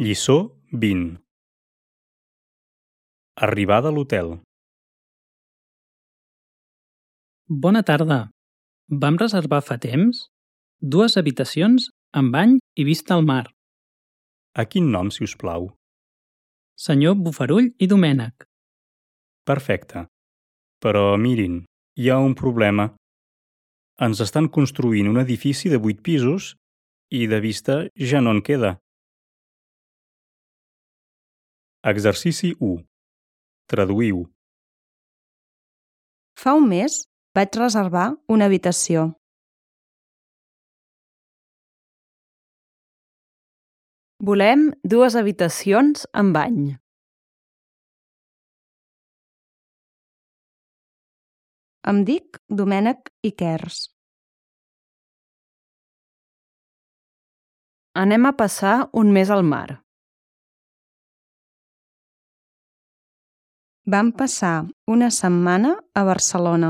Lliçó 20. Arribada a l'hotel. Bona tarda. Vam reservar fa temps? 2 habitacions amb bany i vista al mar. A quin nom, si us plau? Senyor Bofarull i Domènech. Perfecte. Però mirin, hi ha un problema. Ens estan construint un edifici de 8 pisos i de vista ja no en queda. Exercici 1. Traduïu. Fa un mes vaig reservar una habitació. Volem 2 habitacions amb bany. Em dic Domènech Iquers. Anem a passar un mes al mar. Vam passar una setmana a Barcelona.